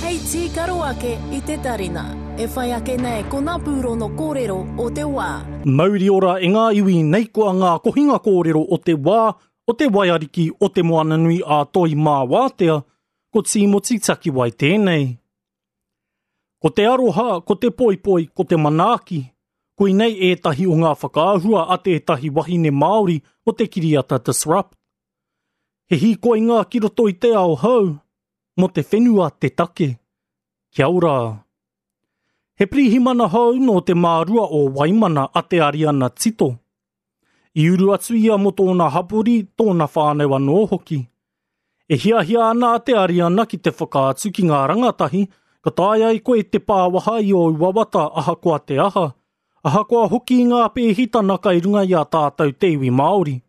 Hei tīkaro ake i te tarina. E whai ake nei ko ngā pūrono kōrero o te wā. Mauri ora e ngā iwi nei koa ngā kohinga kōrero o te wā, o te waiariki o Te Moananui a Toi mā Wātea, ko Tīmoti Takiwai tēnei. Ko te aroha, ko te poipoi, ko te manaaki, koinei ētahi o ngā whakaahua a tētahi wahine Māori o te kiriata Disrupt. He hīkoinga ki roto i te ao hou, mō te whenua te take. Kia ora. He pirihimana hou nō te mārua o Waimana a Te Ariana Tito. I uru atu ia mō tōna hapori, tōna whānau anō hoki. E hiahia ana a Te Ariana ki te whakaatu ki ngā rangatahi ka taea e koe te pāwaha i ōu wawata ahakoa te aha, ahakoa hoki i ngā pēhitana kai runga i a tātou te iwi Māori.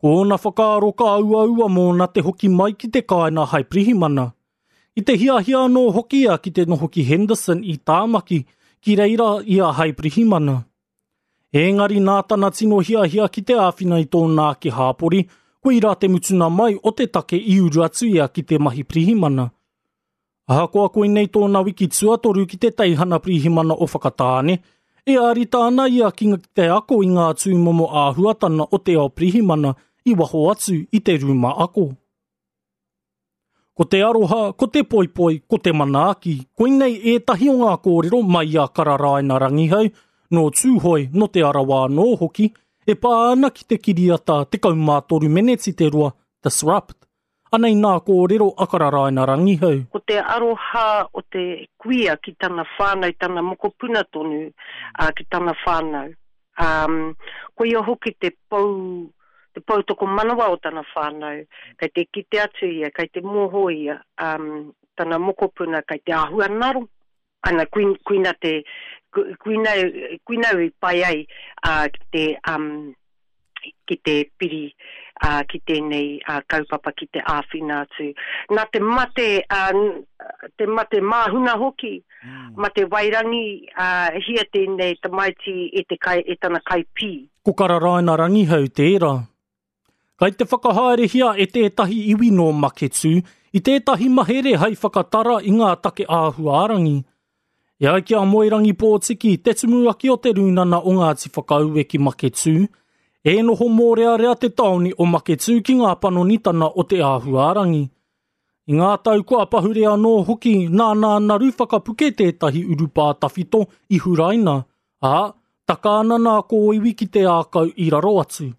Ko ōna whakaaro ka uaua mōna te hoki mai ki te kāinga hai pirihimana. I te hiahia anō hoki ia ki te noho ki Henderson i Tāmaki, ki reira ia hai pirihimana. Ēngari nā tana tino hiahia ki te āwhina i tōna ake hāpori, koirā te mutuna mai o te take i uru atu ia ki te mahi pirihimana. Ahakoa koinei tōna wiki tuatoru ki te teihana pirihimana o Whakatāne, e ārita ana ia ki te ako i ngā tūmomo āhuatana o te ao pirihimana i waho atu i te rūma ako. Ko te aroha, ko te poipoi, ko te manaaki, koinei ētahi o ngā kōrero mai i a Kararaina Rangihau, nō Tūhoe, nō Te Arawa anō hoki, e pā ana ki te kiriata 13 meneti te roa, Disrupt. Anei nā kōrero a Kararaina Rangihau. Ko te aroha o te kuia ki tana whānau, tana mokopuna tonu, ā, ki tana whānau. Ā, koia hoki te pou, te poutokomanawa o tana whānau. Kei te kite atu ia, kei te mōho ia, ā, tana mokopuna kei te āhua ngaro. Ana, koina te, koina, koina au i pai ai, ā, ki te, ā, ki te piri ā, ki tēnei ā, kaupapa ki te āwhina atu. Nā te mate, ā, te mate māhuna hoki, mate wairangi, ā, hia tēnei tamaiti e te kai, e tana kaipī. Ko Kararaina Rangihau tērā. Kai te whakahaerehia e tētahi iwi nō Maketū i tētahi mahere hai whakatara i ngā take āhuarangi. E ai ki a Moerangi Pōtiki, te tumuaki o te Rūnana o Ngāti Whakaue ki Maketū, e noho mōrearea te tāone o Maketū ki ngā panonitana o te āhuarangi. I ngā tau kua pahure anō hoki, nā nā Naru Whakapuke tētahi urupā tawhito i huraina, ā, taka ana nā kōiwi ki te ākau i raro atu.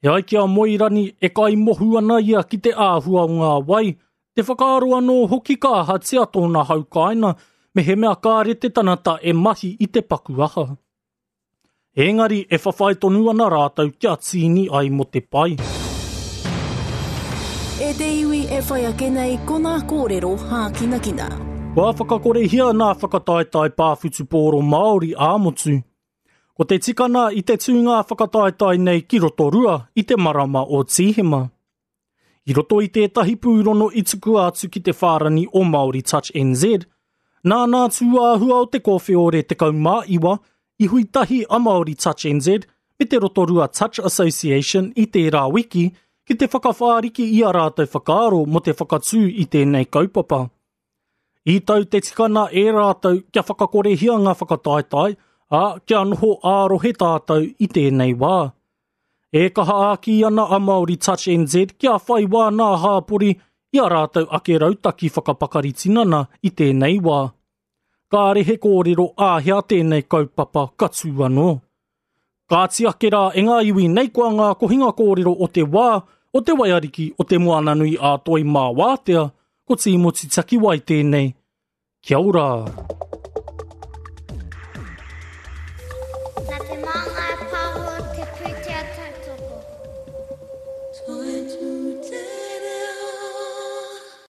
E ai ki a Moerani, e kaimohu ana ia ki te āhua o ngā wai, te whakaaro anō hoki ka ahatia tōna hau kāinga mehemea kāre te tangata e mahi i te paku aha. Ēngari e whawhai tonu ana rātou kia tīni ai mō te pai. E te iwi e whai ake nei ko ngā kōrero hākinakina. Kua whakakorehia ngā whakataetae pā whutupōro Māori ā-motu. Ko te tikana i te tūnga whakataetae nei ki Rotorua i te marama o Tīhema. I roto i tētahi pūrono i tukua atu ki te whārani o Māori Touch NZ, nā nā tūāhua o te kōwheore 19 i hui tahi a Māori Touch NZ me te Rotorua Touch Association i tērā wiki ki te whakawhāriki i a rātou whakaaro mō te whakatū i tēnei kaupapa. I tau te tikana e rātou kia whakakorehia ngā whakataetae, ā, kia noho ā-rohe tātou i tēnei wā. E kaha āki ana a Māori Touch NZ kia whai wā nā hāpori i a rātou ake rautaki whakapakari tinana i tēnei wā. Kāre he kōrero āhea tēnei kaupapa ka tū anō. Kāti ake rā e ngā iwi nei koa ngā kohinga kōrero o te wā, o te waiariki, o te Moananui ā Toi mā Wātea, ko Tīmoti Takiwai tēnei. Kia ora!